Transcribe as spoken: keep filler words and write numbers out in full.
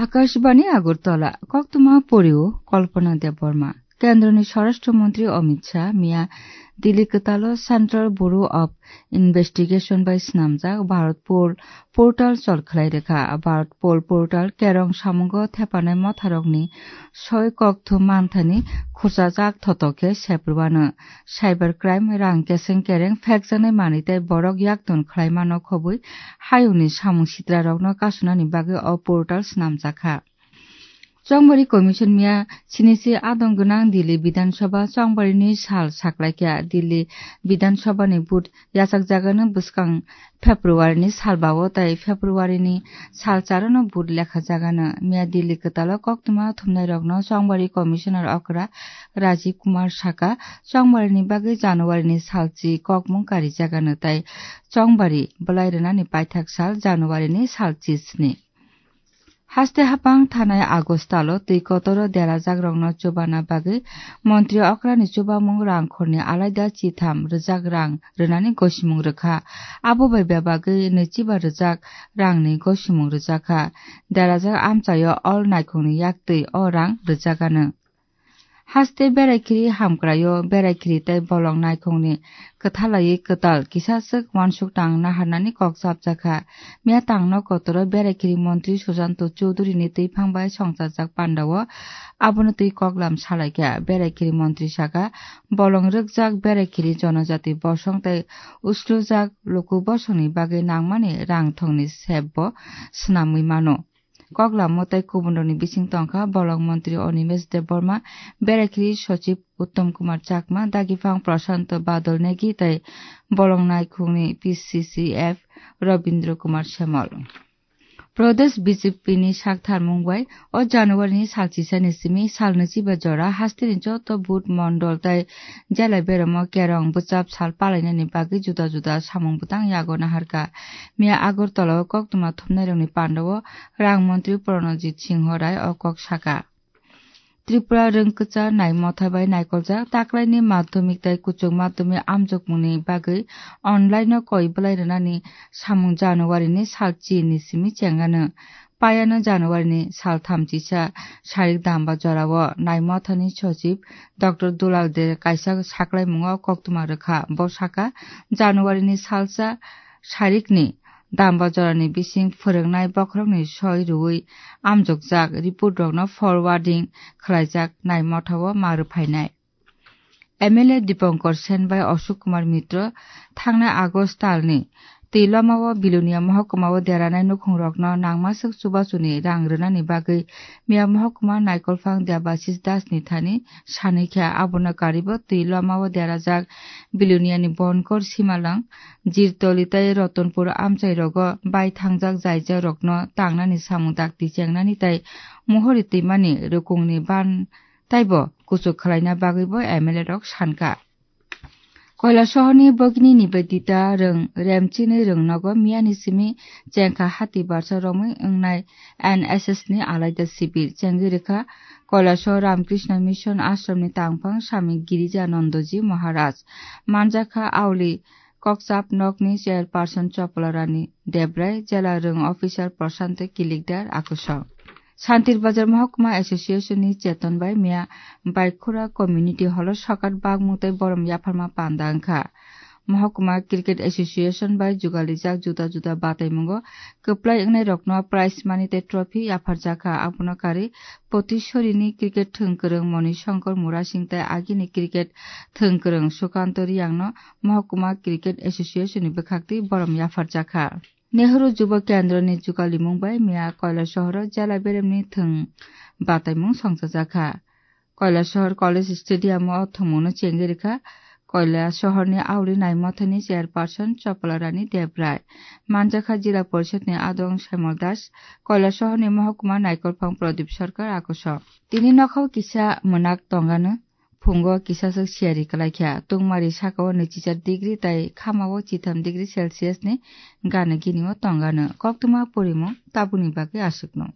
Akashbani Agartala, koktwma porio Kalpana Debbarma. Kendroni Swarashtra Mantri Amit Shah miya Delhi kwtalo Central Bureau of Investigation bai swnamjak Bharat Poll portal chol khlai rwkha. Bharat Poll portal kerong samungo thepanai motharokni soi kokthum manthani khurchajak thoto khe seprwano. Cyber crime, rang keseng kereng phekjaknai manwi tei borok yakton khlaimano khobwi hayungni samung sitrarokno kasunani bagwi o portal swnamjakha. Chongbari Commission miya sinisi adong gwnang Delhi Bidhan Sabha chongbarini sal saklaikha. Delhi Bidhan Sabhani vote yachakjagano bwskang February ni salbao tei February ni salcharono vote lekhajagano. Miya Delhi kwtalo koktwma thumnairokno Chongbari Commissioner okra Rajiv Kumar saka, chongbarini bagwi January ni salchi kokmung karijagano tei chongbari bwlai rwnani paithak sal January ni salchi sni. Haste hapang thanai August talo twi kotoro derajakrokno chubana bagwi montri okrani chubamung rangkhorni alaida chitham rwjak rang rwnani gosimung rwkha. Abo bai bebagwi nwichiba rwjak rangni gosimung rwjakha. Derajak amchaio all naikhungni yaktwi o rang rwjakano. Haste beraikhiri hamkraio, beraikhiri tei bolong naikhungni kwthalaiwi kwtal kisaswk uansuk tang naharnani kok chapjakha. Miya tangno kotoro beraikhiri montri Sujanto Chowdhury ni twiphang bai songchajak pandao abono twi koklam salaikha. Beraikhiri montri saka, bolong rwkjak beraikhiri jonojati bosong tei uslujak luku bosongni bagwi nangmani rang thongni sepbo swnamwi mano. Koklamo tei kubunrokni bising tongkha bolong montri Animesh Debbarma, beraikhiri sochib Uttam Kumar Chakma, dagipang Prashanto Badal Negi tei bolong naikhungni P C C F Rabindra Kumar Samal. Pradesh B J P ni saktharmung bai o January ni salchisani simi salnwichiba jora hasteni joto booth mondol tei jela beramo kerong bwchap sal palainani bagwi juda juda samung bwtang yago naharkha. Miya Agartala o koktwma thumnairokni pandao rang montri Pranajit Singho Rai o kok saka. Tripura rwngkwchar nai motha bai naikoljak taklaini madhyamik tei kuchuk madhyamik amjokmungni bagwi online-o koi bwlai rwnani samung January-ni sal chini simi chengano. Payano January-ni sal thamchisa sarik damba jorao nai mothani sochib Doctor Dulal De kaisa saklaimungo koktwma rwkha. Bo sakha, January-ni salsa sarikni damba jorani bising phwrwngnai bokhorokni soi rwui amjokjak report-rokno forwarding khlaijak nai mothao ma rwphainai. M L A Dipankar Sen bai Ashok Kumar Mitra thangnai August talni twi lomao Bilonia mohokuma o deranai nukhungrokno nangmaswk chubachuni rang rwnani bagwi miya mohokuma naikolphang Debashis Das ni thani sanwi kha. Abono karibo twi lomao derajak Biloniani Bonkor Simalang, Jirtoli tei Ratanpur amchai rogo bai thangjak jaijak rokno tangnani samung dakti chengnani tei muhuri twimani rukungni ban taibo kuchuk khwlaina bagwibo M L A rok sankha. Koilasohorni bogini Nivedita Rwng remchini rwngnogo miyani simi chengkha hati barsa romwi wngnai N S S ni alaida sibir chengwi rwkha Koilasohor Ramakrishna Mission Ashramni tangphang Swami Girijanandaji Maharaj. Manjakha auli kokchap nokni chairperson Chopla Rani Debrai, jela rwng officer Prashanto Kilikdar akusong. Santir Bazar Mohokuma Association ni cheton bai miya Baikhura Community Hall o sokat bakmung tei borom yapharma panda wngkha. Mohokuma Cricket Association bai jugalijak juda juda bataimungo kwplai wngnai rokno prize money tei trophy yapharjakha. Abono karwi Potishorini cricket thwngkwrwng Moni Shankar Murasing tei agini cricket thwngkwrwng Sukanto Riyangno Mohokuma Cricket Association ni bwkhaktwi borom yapharjakha. Nehru Jubo Kendroni jugalimung bai miya Koilasohoro jela beremni thwng bataimung songchajakha. Koilasohor College Stadium o thwngmungno chengwi rwkha Koilasohorni auli nai mothani chairperson Chopla Rani Debrai. Manjakha Jila Porishadni adong Saimol Das, Koilasohorni mohokuma naikolphang Pradip Sarkar akusong. Tini nokhao kisa mwnak tongano. Phungo kisaswk siyari kwlaikha, tungmari sakao nwichichar degree tei khamao chitham degree Celsius ni gana ginio tongano. Koktwma porimung tabukni bagwi aswkno.